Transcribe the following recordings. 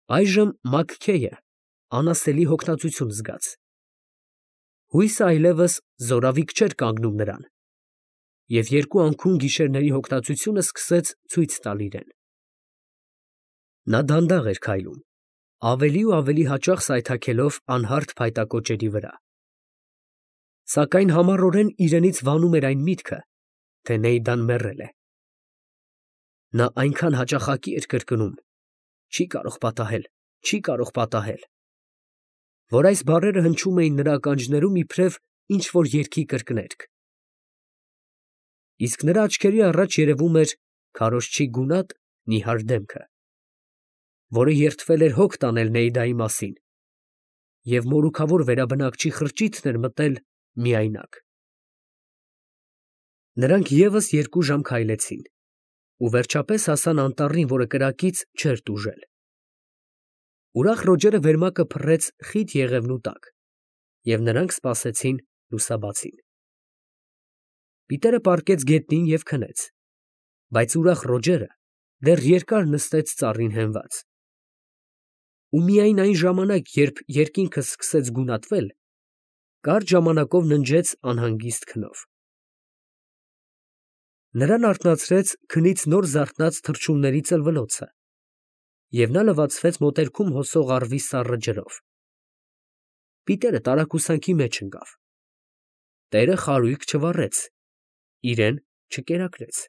Այժմ Մաքքեյը անասելի հոգնածություն զգաց. հույսը այլևս զորավիք չէր կանգնում նրան, և երկու անքուն գիշերների հոգնածությունը սկսեց ցույց տալ իրեն. նա դանդաղ էր քայլում, ավելի ու ավելի հաճախ սայթաքելով անհարթ փայտակոճերի վրա, սակայն համառորեն իրենից վանում էր այն միտքը, թե Նեյդան մեռել է. նա այնքան հաճախակի էր կրկնում. չի կարող պատահել, չի կարող պատահել, որ այս բառերը հնչում էին նրա ականջներում իբրև ինչ֊որ երգի կրկներգ. իսկ նրա աչքերի առաջ երևում էր քարոզչի գունատ, նիհար դեմքը, որը երդվել էր հոգ տանել Նեյդայի մասին, և մորուքավոր վերաբնակչի խրճիթն էր մտել միայնակ։ Նրանք ևս երկու ժամ քայլեցին ու վերջապես հասան անտառին, որը կրակից չէր տուժել։ Ուրախ Ռոջերը վերմակը փռեց խիտ եղևնու տակ, և նրանք սպասեցին լուսաբացին։ Պիտերը պառկեց գետնին և քնեց, բայց ուրախ Ռոջերը դեռ երկար նստեց ծառին հենված։ Ու միայն այն ժամանակ, երբ երկինքը սկսեց գունատվել, կարճ ժամանակով ննջեց անհանգիստ քնով։ Նրան արթնացրեց քնից նոր զարթնած թռչունների ծլվլոցը, և նա լվացվեց մոտերքում հոսող առվի սառը ջրով։ Պիտերը տարակուսանքի մեջ ընկավ։ Տերը խարույկ չվառեց, իրեն չկերակրեց։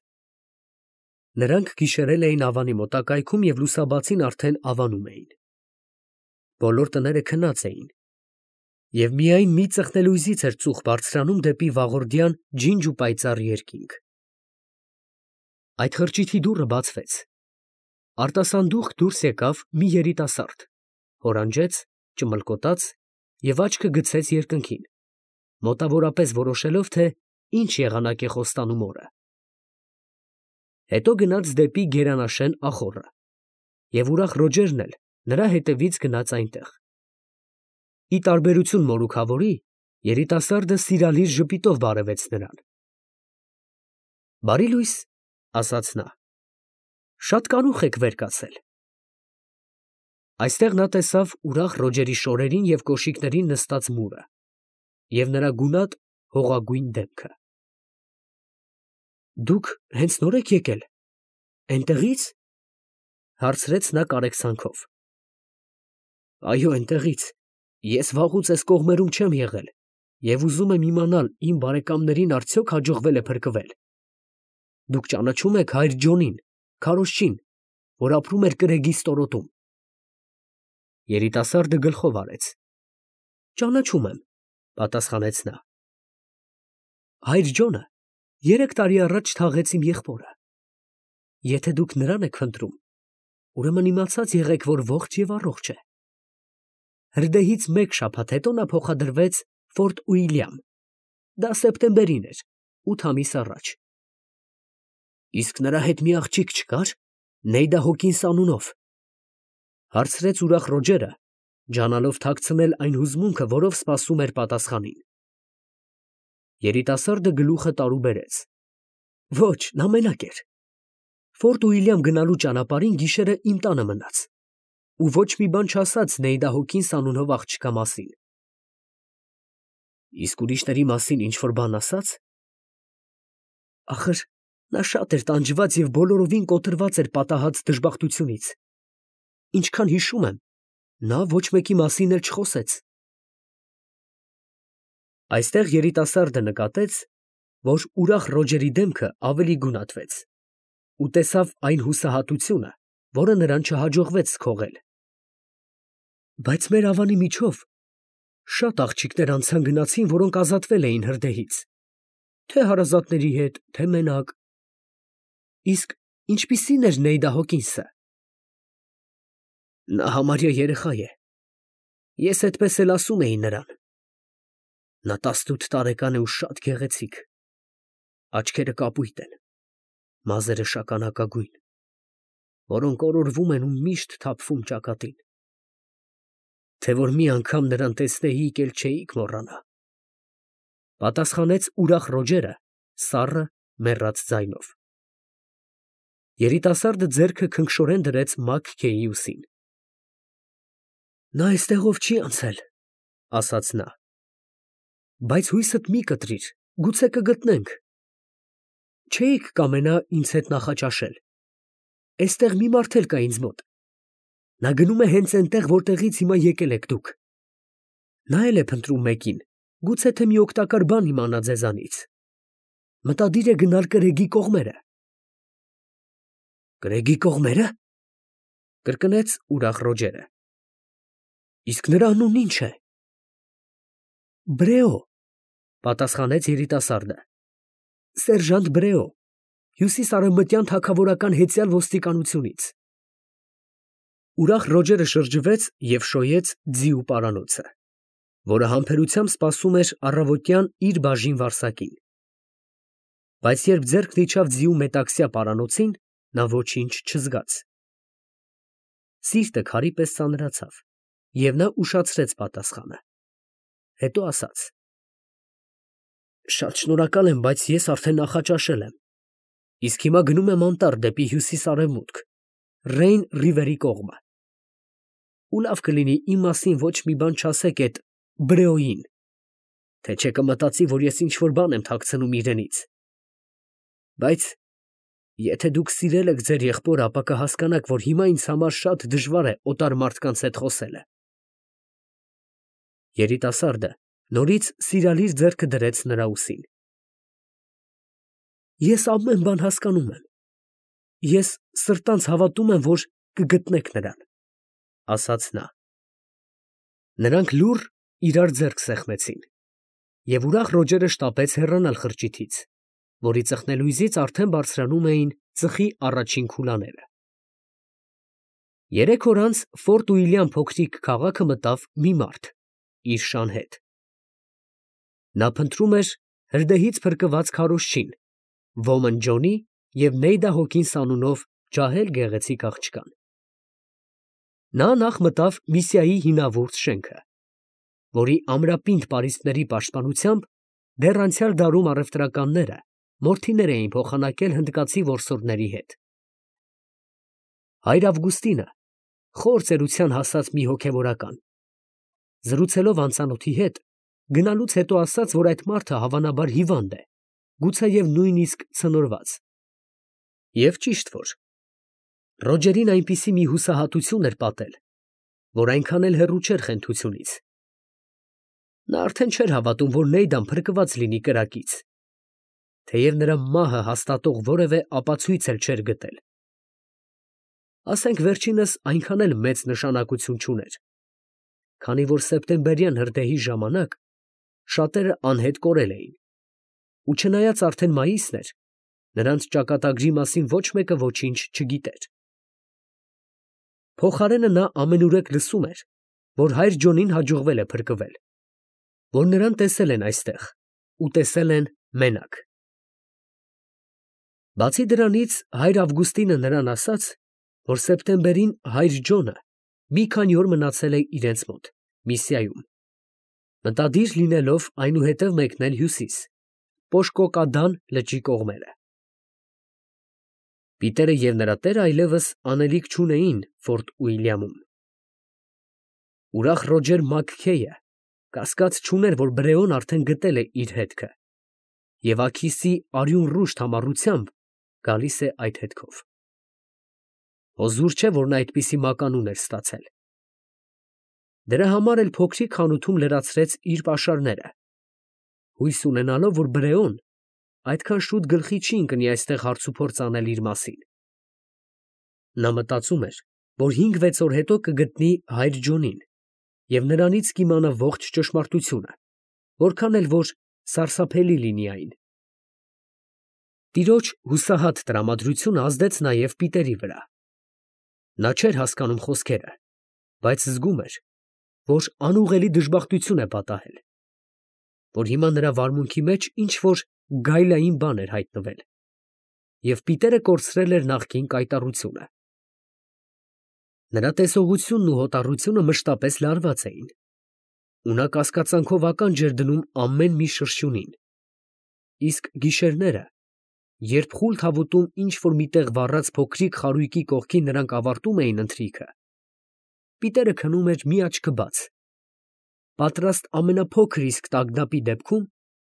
Նրանք գիշերել էին ավանի մոտակայքում և լուսաբացին արդեն ավանում էին։ Բոլոր տները քնած էին, և միայն մի ծխնելույզից էր ծուխ բարձրանում դեպի վաղորդյան ջինջ ու պայծառ երկինք։ Այդ խրճիթի դուռը բացվեց։ Արտասանդուխ դուրս եկավ մի երիտասարդ, հորանջեց, ճմլկոտաց և աչքը գցեց երկնքին, մոտավորապես որոշելով, թե ինչ եղանակ է խոստանում օրը։ Հետո գնաց դեպի գերանաշեն ախոռը, և ուրախ Ռոջերն էլ նրա հետևից գնաց այնտեղ։ Ի տարբերություն մորուքավորի, երիտասարդը սիրալիր ժպիտով բարևեց նրան։ «Բարի լույս», ասաց նա, «շատ կարուխ եք վեր կացել»։ Այստեղ նա տեսավ ուրախ Ռոջերի շորերին և կոշիկներին նստած մուրը և նրա գունատ հողագույն դեմքը։ «Դուք հենց նոր եք եկել, էնտեղի՞ց» հարցրեց նա կարեկցանքով։ «Այո, էնտեղից, ես վաղուց էս կողմերում չեմ եղել և ուզում եմ իմանալ իմ բարեկամներին արդյոք հաջողվել է փրկվել։ Դուք ճանաչո՞ւմ եք հայր Ջոնին, քարոզչին, որ ապրում էր կրեգի ստորոտում»։ Երիտասարդը գլխով արեց։ «Ճանաչում եմ», պատասխանեց նա։ «Հայր Ջոնը 3 տարի առաջ թաղեց իմ եղբորը։ Եթե դուք նրան եք փնտրում, ուրեմն իմացած եղեք, որ ողջ և առողջ է։ Հրդեհից 1 շաբաթ հետո նա փոխադրվեց Ֆորտ Ուիլյամ, դա սեպտեմբերին էր, 8 ամիս առաջ»։ «Իսկ նրա հետ մի աղջիկ չկա՞ր, Նեյդա Հոկինս անունով», հարցրեց ուրախ Ռոջերը, ջանալով թաքցնել այն հուզմունքը, որով սպասում էր պատասխանին։ Երիտասարդը գլուխը տարուբերեց։ «Ոչ, նա մենակ էր։ Ֆորտ Ուիլյամ գնալու ճանապարհին գիշերը իմ տանը մնաց ու ոչ մի բան չասաց Նեյդա Հոկինս անունով աղջկա մասին»։ «Իսկ ուրիշների մասին ինչ֊որ բան ասա՞ց»։ «Ախր նա շատ էր տանջված և բոլորովին կոտրված էր պատահած դժբախտությունից։ Ինչքան հիշում եմ, նա ոչ մեկի մասին էլ չխոսեց»։ Այստեղ երիտասարդը նկատեց, որ ուրախ Ռոջերի դեմքը ավելի գունատվեց ու տեսավ այն հուսահատությունը, որը նրան չհաջողվեց սքողել։ «Բայց մեր ավանի միջով շատ աղջիկներ անցան֊գնացին, որոնք ազատվել էին հրդեհից, թե հարազատների հետ, թե մենակ։ Իսկ ինչպիսի՞ն էր Նեյդա Հոկինսը»։ «Նա համարյա երեխա է, ես էդպես էլ ասում էի նրան։ Նա 18 տարեկան է ու շատ գեղեցիկ, աչքերը կապույտ են, մազերը շագանակագույն, որոնք օրորվում են ու միշտ թափվում ճակատին։ Թե որ մի անգամ նրան տեսնեիք, էլ չէիք մոռանա», պատասխանեց ուրախ Ռոջերը սառը, մեռած ձայնով։ Երիտասարդը ձեռքը քնքշորեն դրեց Մաքքեյի ուսին։ Նա այստեղով չի անցել, ասաց նա, բայց հույսդ մի կտրիր, գուցե կգտնենք։ Չէիք կամենա ինձ հետ նախաճաշել։ Էստեղ մի մարդ էլ կա ինձ մոտ։ Նա գնում է հենց այնտեղ, որտեղից հիմա եկել եք դուք։ Նա էլ է փնտրում մեկին, գուցե թե մի օգտակար բան իմանա ձեզանից։ Մտադիր է գնալ կրեգի կողմերը։ Կրեգի կողմերը, կրկնեց ուրախ Ռոջերը։ Իսկ նրա անունն ինչ է։ Բրեո, պատասխանեց երիտասարդը։ Սերժանտ Բրեո, հյուսիսարևմտյան թագավորական հեծյալ ոստիկանությունից։ Ուրախ Ռոջերը շրջվեց և շոյեց ձիու պարանոցը, որը համբերությամբ սպասում էր առավոտյան իր բաժին վարսակին։ Բայց երբ ձեռքն իջավ ձիու մետաքսյա պարանոցին, նա ոչինչ չզգաց։ Սիրտը քարի պես ծանրացավ, և նա ուշացրեց պատասխանը։ Հետո ասաց. Շատ շնորհակալ եմ, բայց ես արդեն նախաճաշել եմ, իսկ հիմա գնում եմ անտառ դեպի հյուսիս֊արևմուտք, Ռեյն ռիվերի կողմը։ Ու լավ կլինի իմ մասին ոչ մի բան չասեք էդ Բրեոյին, թե չէ կմտածի, որ ես ինչ֊որ բան եմ թաքցնում իրենից։ Բայց եթե դուք սիրել եք ձեր եղբորը, ապա կհասկանաք, որ հիմա ինձ համար շատ դժվար է օտար մարդկանց հետ խոսելը։ Երիտասարդը նորից սիրալիր ձեռքը դրեց նրա ուսին։ Ես ամեն բան հասկանում եմ։ Ես սրտանց հավատում եմ, որ կգտնեք նրան, ասաց նա։ Նրանք լուռ իրար ձեռք սեղմեցին, և ուրախ Ռոջերը շտապեց հեռանալ խրճիթից, որի ծխնելույզից արդեն բարձրանում էին ծխի առաջին քուլաները։ 3 օր անց Ֆորտ Ուիլյամ փոքրիկ քաղաքը մտավ մի մարդ իր շան հետ։ Նա փնտրում էր հրդեհից փրկված քարոզչին, ոմն Ջոնի և Նեյդա Հոքինս անունով ջահել գեղեցիկ աղջկան։ Նա նախ մտավ Միսիայի հինավուրց շենքը, որի ամրապինդ պարիսպների պաշտպանությամբ դեռ անցյալ դարում առևտրականները մորթիներ էին փոխանակել հնդկացի որսորդների հետ։ Հայր Ավգուստինը խոր ծերության հասած մի հոգևորական, զրուցելով անծանոթի հետ, գնալուց հետո ասաց, որ այդ մարդը հավանաբար հիվանդ է, գուցեև նույնիսկ ցնորված։ Եվ ճիշտ որ Ռոջերին այնպիսի մի հուսահատություն էր պատել, որ այնքան էլ հեռու չէր խենթությունից։ Նա արդեն չէր հավատում, որ Նեյդան փրկված լինի կրակից, թեև նրա մահը հաստատող որևէ ապացույց էլ չէր գտել։ Ասենք վերջինս այնքան էլ մեծ նշանակություն չուներ, քանի որ սեպտեմբերյան հրդեհի ժամանակ շատերը անհետ կորել էին, ու չնայած արդեն մայիսն էր, նրանց ճակատագրի մասին ոչ մեկը ոչինչ չգիտեր։ Փոխարենը նա ամենուրեք լսում էր, որ հայր Ջոնին հաջողվել է փրկվել, որ նրան տեսել են այստեղ ու տեսել են մենակ։ Բացի դրանից հայր Ավգուստինը նրան ասաց, որ սեպտեմբերին հայր Ջոնը մի քանի օր մնացել է իրենց մոտ, Միսիայում, մտադիր լինելով այնուհետև մեկնել հյուսիս, Պոշկոկադան լճի կողմերը։ Պիտերը և նրա տերը այլևս անելիք չունեին Ֆորտ Ուիլյամում։ Ուրախ Ռոջեր Մաքքեյը կասկած չուներ, որ Բրեոն արդեն գտել է իր հետքը, և աքիսի արյունռուշտ համառությամբ գալիս է այդ հետքով։ Հոզուր չէ, որ նա այդպիսի մականուն էր ստացել։ Դրա համար էլ փոքրիկ խանութում լրացրեց իր պաշարները, հույս ունենալով, որ Բրեոն այդքան շուտ գլխի չի ընկնի այստեղ հարցուփորձ անել իր մասին։ Նա մտածում էր, որ 5-6 օր հետո կգտնի հայր Ջոնին և նրանից կիմանա ողջ ճշմարտությունը, որքան էլ որ սարսափելի լինի այն։ Տիրոջ հուսահատ տրամադրությունը ազդեց նաև Պիտերի վրա։ Նա չէր հասկանում խոսքերը, բայց զգում էր, որ անուղղելի դժբախտություն է պատահել, որ հիմա նրա վարմունքի մեջ ինչ-որ գայլային բան էր հայտնվել, և Պիտերը կորցրել էր նախկին կայտառությունը։ Նրա տեսողությունն ու հոտառությունը մշտապես լարված էին, ու նա կասկածանքով ականջ էր դնում ամեն մի շրշյունին, իսկ գիշերները, երբ խուլ թավուտում ինչ֊որ մի տեղ վառած փոքրիկ խարույկի կողքին նրանք ավարտում էին ընթրիքը, Պիտերը քնում էր մի աչքը բաց, պատրաստ ամենափոքր իսկ տագնապի դեպքում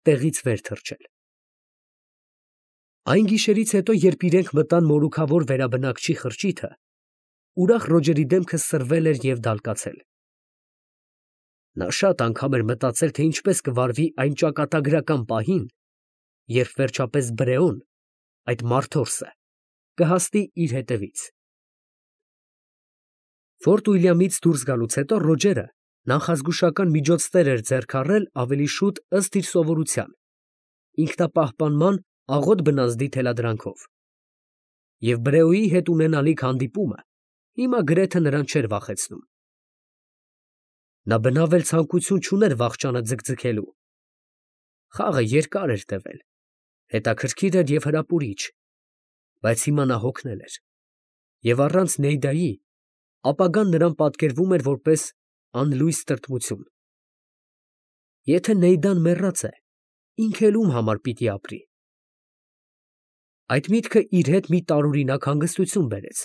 տեղից վեր թռչել։ Այն գիշերից հետո, երբ իրենք մտան մորուքավոր վերաբնակչի խրճիթը, ուրախ Ռոջերի դեմքը սրվել էր և դալկացել։ Նա շատ անգամ էր մտածել, թե ինչպես կվարվի այն ճակատագրական պահին, երբ վերջապես Բրեոն, այդ մարդորսը, կհասնի իր հետևից։ Ֆորտ Ուիլյամից դուրս գալուց հետո Ռոջերը նախազգուշական միջոցներ էր ձեռք առել ավելի շուտ ըստ իր սովորության, ինքնապահպանման աղոտ բնազդի թելադրանքով, և Բրեոյի հետ ունենալիք հանդիպումը հիմա գրեթե նրան չէր վախեցնում։ Նա բնավ էլ ցանկություն չուներ վախճանը ձգձգելու։ Խաղը երկար էր տևել, հետաքրքիր էր և հրապուրիչ, բայց հիմա նա հոգնել էր, և առանց Նեյդայի ապագան նրան պատկերվում էր որպես անլույս տրտմություն։ Եթե Նեյդան մեռած է, ինքը էլ ում համար պիտի ապրի։ Այդ միտքը իր հետ մի տարօրինակ հանգստություն բերեց,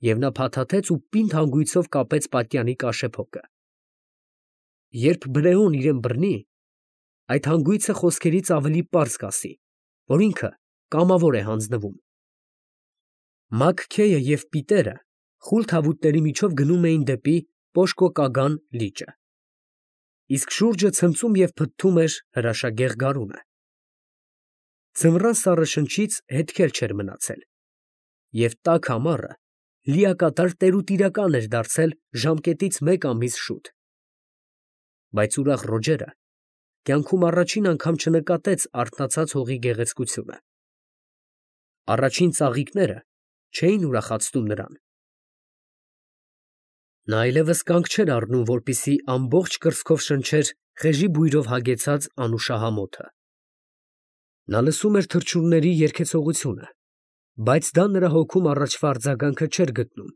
և նա փաթաթեց ու պինդ հանգույցով կապեց պատյանի կաշեփոկը։ Երբ Բրեոն իրեն բռնի, այդ հանգույցը խոսքերից ավելի պարզ կասի, որ ինքը կամավոր է հանձնվում։ Մաքքեյը և Պիտերը խուլ թավուտների միջով գնում էին դեպի Պոշկոկագան լիճը, իսկ շուրջը ցնծում և փթթում էր հրաշագեղ գարունը։ Ձմռան սառը շնչից հետքեր չէր մնացել, և տաք ամառը լիակատար տերուտիրական էր դարձել ժամկետից մեկ ամիս շուտ։ Բայց ուրախ Ռոջերը կյանքում առաջին անգամ չնկատեց արթնացած հողի գեղեցկությունը։ Առաջին ծաղիկները չէին ուրախացնում նրան։ Նա այլևս կանգ չէր առնում, որպեսզի ամբողջ կրծքով շնչեր խեժի բույրով հագեցած անուշահամոթը։ Նա լսում էր թռչունների երգեցողությունը, բայց դա նրա հոգում առաջվա արձագանքը չէր գտնում,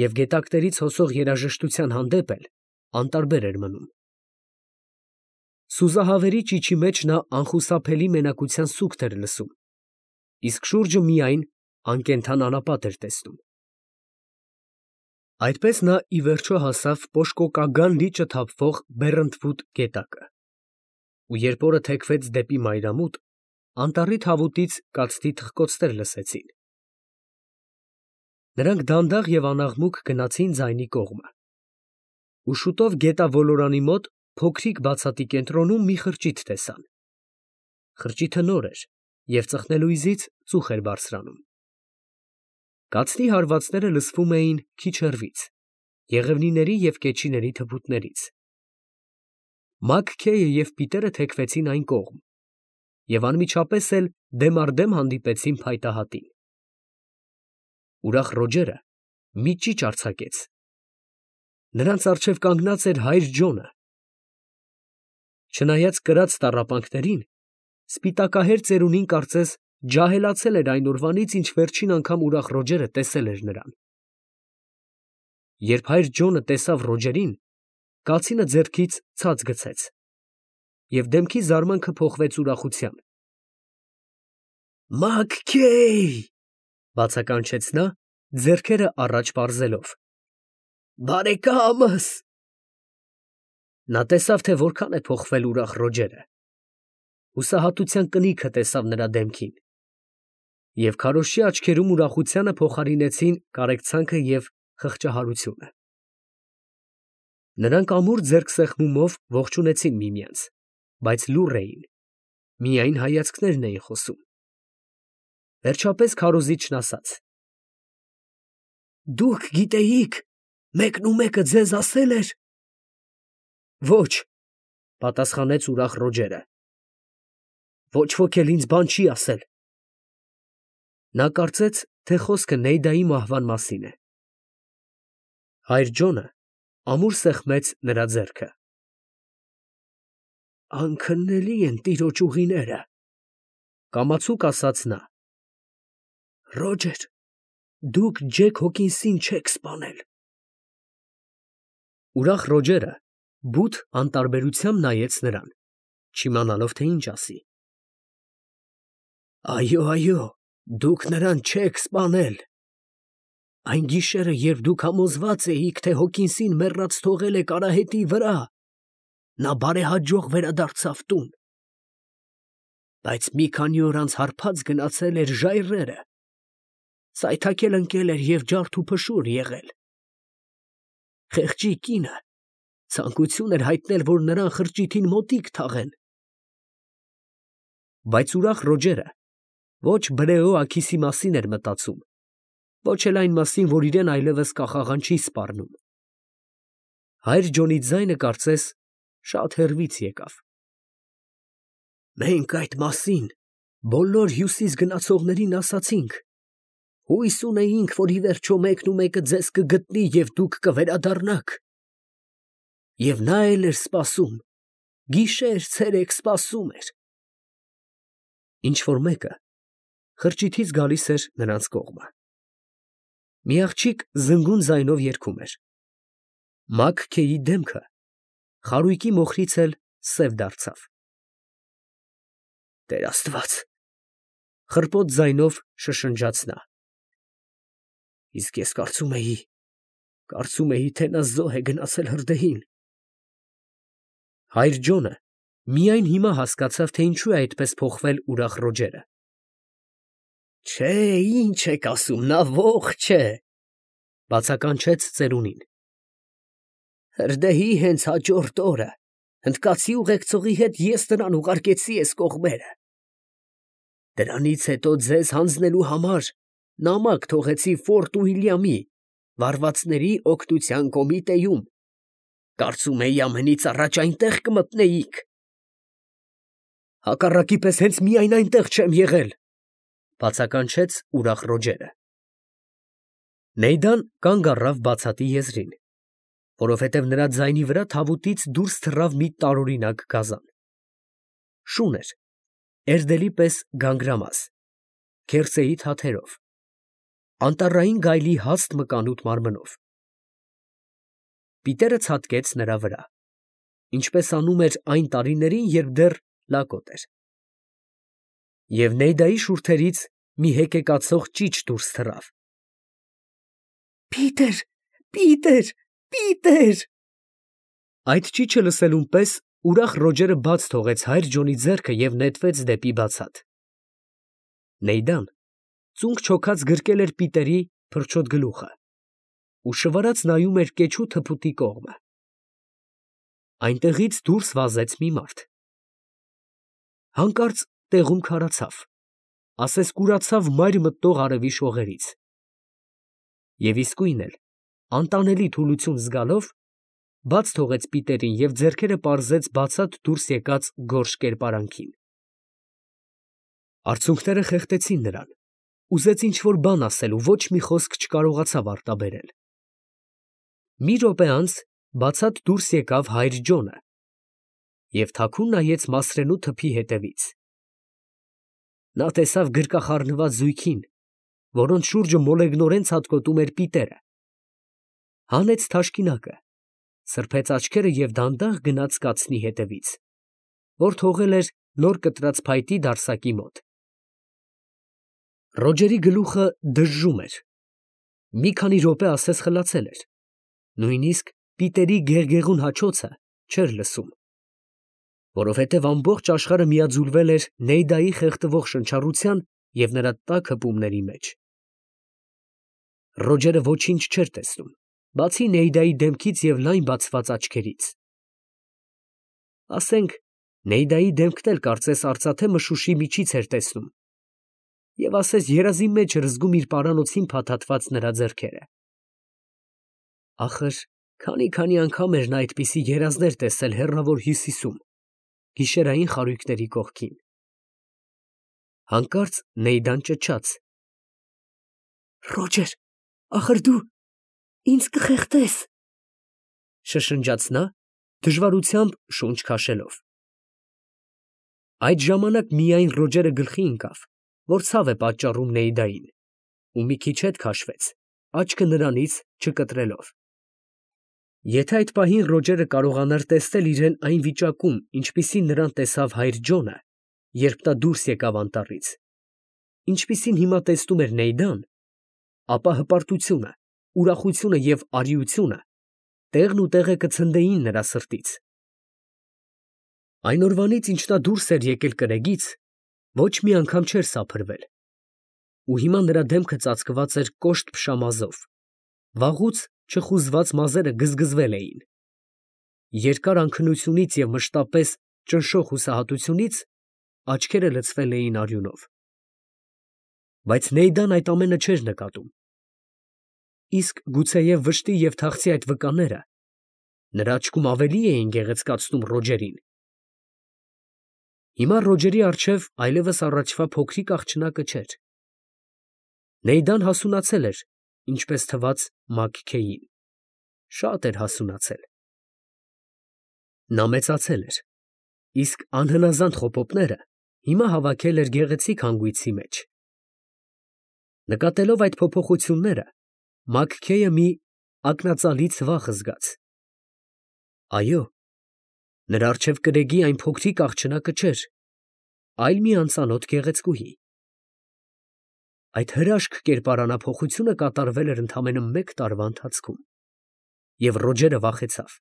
և գետակներից հոսող երաժշտության հանդեպ էլ անտարբեր էր մնում։ Սուզահավերի ճիչի մեջ նա անխուսափելի մենակության սուգթ էր լսում, իսկ շուրջը միայն անկենդան անապատ էր տեսնում։ Այդպես նա ի վերջո հասավ Պոշկոկագան լիճը թափվող Բեռնտվուդ գետակը, ու երբ օրը թեքվեց դեպի մայրամուտ, անտառի թավուտից կացտի թխկոցներ լսեցին։ Նրանք դանդաղ և անաղմուկ գնացին ձայնի կողմը, ու շուտով գետավոլորանի մոտ փոքրիկ բացատի կենտրոնում մի խրճիթ տեսան։ Խրճիթը նոր էր և ծխնելույզից ծուխ էր բարձրանում։ Կացնի հարվածները լսվում էին քիչ հեռվից, եղևնիների և կեչիների թփուտներից։ Մաքքեյը և Պիտերը թեքվեցին այն կողմ և անմիջապես էլ դեմ առ դեմ հանդիպեցին փայտահատին։ Ուրախ Ռոջերը մի ճիչ արձակեց։ Նրանց առջև կանգնած էր հայր Ջոնը։ Չնայած կրած տառապանքներին, սպիտակահեր ծերունին կարծես ջահելացել էր այն օրվանից, ինչ վերջին անգամ ուրախ Ռոջերը տեսել էր նրան։ Երբ հայր Ջոնը տեսավ Ռոջերին, կացինը ձեռքից ցած գցեց, և դեմքի զարմանքը փոխվեց ուրախության։ «Մաքքեյ» բացականչեց նա, ձեռքերը առաջ պարզելով։ «Բարեկամս»։ Նա տեսավ, թե որքան է փոխվել ուրախ Ռոջերը։ Հուսահատության կնիքը տեսավ նրա դեմքին, և քարոզչի աչքերում ուրախությանը փոխարինեցին կարեկցանքը և խղճահարությունը։ Նրանք ամուր ձեռքսեղմումով ողջունեցին միմյանց, բայց լուռ էին, միայն հայացքներն էին խոսում։ Վերջապես քարոզիչն ասաց. «Դուք գիտեիք, մեկնումեկը ձեզ ասել էր»։ «Ոչ», պատասխանեց ուրախ Ռոջերը։ «Ոչ ոք էլ ինձ բան չի ասել»։ Նա կարծեց, թե խոսքը Նեյդայի մահվան մասին է։ Հայր Ջոնը ամուր սեղմեց նրա ձեռքը։ «Անքննելի են տիրոջ ուղիները», կամացուկ ասաց նա։ «Ռոջեր, դուք Ջեք Հոքինսին չեք սպանել»։ Ուրախ Ռոջերը բութ անտարբերությամբ նայեց նրան, չիմանալով, թե ինչ ասի։ «Այո, այո, դուք նրան չեք սպանել։ Այն գիշերը, երբ դուք համոզված էիք, թե Հոկինսին մեռած թողել եք արահետի վրա, նա բարեհաջող վերադարձավ տուն, բայց մի քանի օր անց հարբած գնացել էր ժայռերը, սայթաքել ընկել էր և ջարդ ու փշուր եղել։ Խեղճի կինը ցանկություն էր հայտնել, որ նրան խրճիթին մոտիկ թաղեն։ Բայց ուրախ Ռոջերը ոչ Բրեոաքիսի մասին էր մտածում, ոչ էլ այն մասին, որ իրեն այլևս կախաղան չի սպառնում։ Հայր Ջոնի ձայնը կարծես շատ հեռվից եկավ։ Մենք այդ մասին բոլոր Հյուսիս գնացողներին ասացինք, հույս ունեինք, որ ի վերջո մեկն ու մեկը ձեզ կգտնի և դուք կվերադառնաք։ Եվ նա էլ էր սպասում, գիշեր-ցերեկ սպասում էր։ Ինչ-որ մեկը խրճիթից գալիս էր նրանց կողմը։ Մի աղջիկ զնգուն ձայնով երգում էր։ Մագ-Քեի դեմքը խարույկի մոխրից էլ սև դարձավ։ Տեր Աստված, խռպոտ ձայնով շշնջաց նա։ Իսկ ես կարծում էի, թե նա զոհ է գնացել հրդեհին։ Հայր Ջոնը միայն հիմա հասկացավ, թե ինչու է այդպես փոխվել ուրախ Ռոջերը։ Չէ, ինչ եք ասում, նա ողջ է, բացականչեց ծերունին։ Հրդեհի հենց հաջորդ օրը հնդկացի ուղեկցողի հետ ես նրան ուղարկեցի էս կողմերը։ Դրանից հետո ձեզ հանձնելու համար նամակ թողեցի Ֆորտ Ուիլյամի վարվածների օգնության կոմիտեում։ Կարծում էի ամենից առաջ այնտեղ կմտնեիք։ Հակառակի պես հենց միայն այնտեղ չեմ եղել, բացականչեց ուրախ Ռոջերը։ Նեյդան կանգ առավ բացատի եզրին, որովհետև նրա ձայնի վրա թավուտից դուրս թռավ մի տարօրինակ գազան։ Շուն էր, էրդելի պես գանգրամաս, քերծեի թաթերով, անտառային գայլի հաստ մկանուտ մարմնով։ Պիտերը ցատկեց նրա վրա, ինչպես անում էր այն տարիներին, երբ դեռ լակոտ էր։ Եվ Նեյդայի շուրթերից մի հեկեկացող ճիչ դուրս թռավ։ Պիտեր, Պիտեր, Պիտեր… Այդ ճիչը լսելուն պես ուրախ Ռոջերը բաց թողեց հայր Ջոնի ձեռքը և նետվեց դեպի բացատ։ Նեյդան ծունկ չոքած գրկել էր Պիտերի փրչոտ գլուխը ու շվարած նայում էր կեչու թփուտի կողմը։ Այնտեղից դուրս վազեց մի մարդ։ Հանկարծ տեղում քարացավ, ասես կուրացավ մայր մտնող արևի շողերից։ Եվ իսկույն էլ, անտանելի թուլություն զգալով, բաց թողեց Պիտերին և ձեռքերը պարզեց բացատ դուրս եկած գորշ կերպարանքին։ Արցունքները խեղդեցին նրան, ուզեց ինչ-որ բան ասել ու ոչ մի խոսք չկարողացավ արտաբերել։ Մի րոպե անց բացատ դուրս եկավ հայր Ջոնը և թաքուն նայեց Մասրենու թփի հետևից։ Նա տեսավ գրկախառնված զույգին, որոնց շուրջը մոլեգնորեն ցատկոտում էր Պիտերը, հանեց թաշկինակը, սրբեց աչքերը և դանդաղ գնաց կացնի հետևից, որ թողել էր նոր կտրած փայտի դարսակի մոտ։ Ռոջերի գլուխը դժժում էր, մի քանի րոպե ասես խլացել էր, նույնիսկ Պիտերի գեղգեղուն հաչոցը չէր լսում, որովհետև ամբողջ աշխարհը միաձուլվել էր Նեյդայի խեղդվող շնչառության և նրա տաք հպումների մեջ։ Ռոջերը ոչինչ չէր տեսնում, բացի Նեյդայի դեմքից և լայն բացված աչքերից։ Ասենք, Նեյդայի դեմքն էլ կարծես արծաթե մշուշի միջից էր տեսնում, և ասես երազի մեջ էր զգում իր պարանոցին փաթաթված նրա ձեռքերը։ Ախր քանի անգամ էր նա այդպիսի երազներ տեսել հեռավոր Հյուսիսում, գիշերային խարույկների կողքին։ Հանկարծ Նեյդան ճչաց. Ռոջեր, ախր դու ինձ կխեղդես, շշնջաց նա, դժվարությամբ շունչ քաշելով։ Այդ ժամանակ միայն Ռոջերը գլխի ընկավ, որ ցավ է պատճառում Նեյդային, ու մի քիչ հետ քաշվեց, աչքը նրանից չկտրելով։ Եթե այդ պահին Ռոջերը կարողանար տեսնել իրեն այն վիճակում, ինչպիսին նրան տեսավ հայր Ջոնը, երբ նա դուրս եկավ անտառից, ինչպիսին հիմա տեսնում էր Նեյդան, ապա հպարտությունը, ուրախությունը և արիությունը տեղն ու տեղը կցնդեին նրա սրտից։ Այն օրվանից, ինչ նա դուրս էր եկել կրեգից, ոչ մի անգամ չէր սափրվել, ու հիմա նրա դեմքը ծածկված էր կոշտ փշամազով, վաղուց չխուզված մազերը գզգզվել էին։ Երկար անքնությունից և մշտապես ճնշող հուսահատությունից աչքերը լցվել էին արյունով։ Բայց Նեյդան այդ ամենը չէր նկատում։ Իսկ գուցեև վշտի և թախծի այդ վկաները նրա աչքում ավելի էին գեղեցկացնում Ռոջերին։ Հիմա Ռոջերի առջև այլևս առաջվա փոքրիկ աղջնակը չէր։ Նեյդան հասունացել էր, ինչպես թվաց Մագքեյին, շատ էր հասունացել։ Նա մեծացել էր, իսկ անհնազանդ խոպոպները հիմա հավաքել էր գեղեցիկ հանգույցի մեջ։ Նկատելով այդ փոփոխությունները, Մագքեյը մի ակնածալի ցվախ զգաց։ Այո, նրա առջև կրեգի այն փոքրիկ աղջնակը չէր, այլ մի անծանոթ գեղեցկուհի։ Այդ հրաշք կերպարանափոխությունը կատարվել էր ընդամենը մեկ տարվա ընթացքում, և Ռոջերը վախեցավ։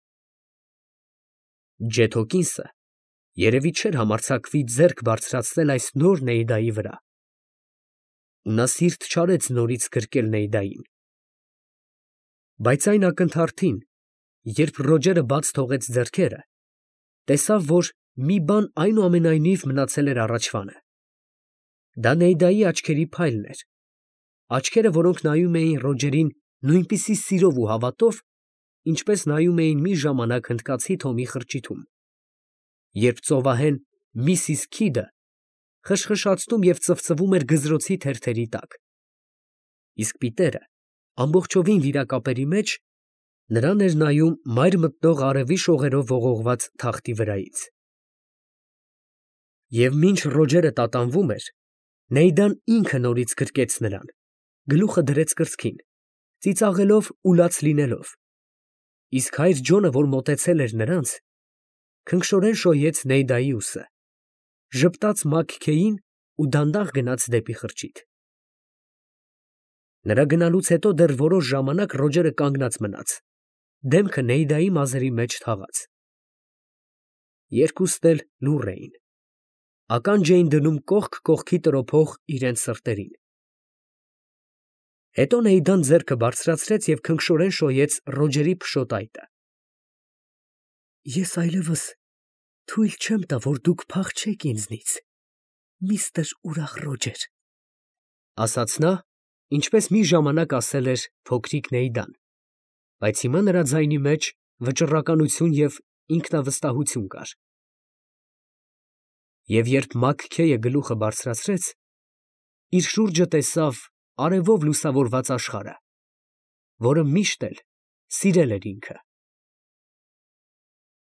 Ջեթ Հոքինսը երևի չէր համարձակվի ձեռք բարձրացնել այս նոր Նեյդայի վրա, ու նա սիրտ չարեց նորից գրկել Նեյդային։ Բայց այն ակնթարթին, երբ Ռոջերը բաց թողեց ձեռքերը, տեսավ, որ մի բան այնուամենայնիվ մնացել էր առաջվանը։ Դա Նեյդայի աչքերի փայլն էր, աչքերը, որոնք նայում էին Ռոջերին նույնպիսի սիրով ու հավատով, ինչպես նայում էին մի ժամանակ հնդկացի Թոմի խրճիթում, երբ ծովահեն Միսիս Քիդը խշխշացնում և ծվծվում էր գզրոցի թերթերի տակ, իսկ Պիտերը ամբողջովին վիրակապերի մեջ նրան էր նայում մայր մտնող արևի շողերով ողողված թախտի վրայից։ Եվ մինչ Ռոջերը տատանվում էր, Նեյդան ինքը նորից գրկեց նրան, գլուխը դրեց կրծքին, ծիծաղելով ու լաց լինելով, իսկ հայր Ջոնը, որ մոտեցել էր նրանց, քնքշորեն շոյեց Նեյդայի ուսը, ժպտաց Մագքեյին ու դանդաղ գնաց դեպի խրճիթ։ Նրա գնալուց հետո դեռ որոշ ժամանակ Ռոջերը կանգնած մնաց, դեմքը Նեյդայի մազերի մեջ թաղած։ Երկուսն էլ լուռ էին, ականջ էին դնում կողք կողքի տրոփող իրենց սրտերին։ Հետո Նեյդան ձեռքը բարձրացրեց և քնքշորեն շոյեց Ռոջերի փշոտ այտը։ Ես այլևս թույլ չեմ տա, որ դուք փախչեք ինձնից, միստր ուրախ Ռոջեր, ասաց նա, ինչպես մի ժամանակ ասել էր փոքրիկ Նեյդան, բայց հիմա նրա ձայնի մեջ վճռականություն և ինքնավստահություն կար։ Եվ երբ Մագքեյը գլուխը բարձրացրեց, իր շուրջը տեսավ արևով լուսավորված աշխարհը, որը միշտ էլ սիրել էր ինքը։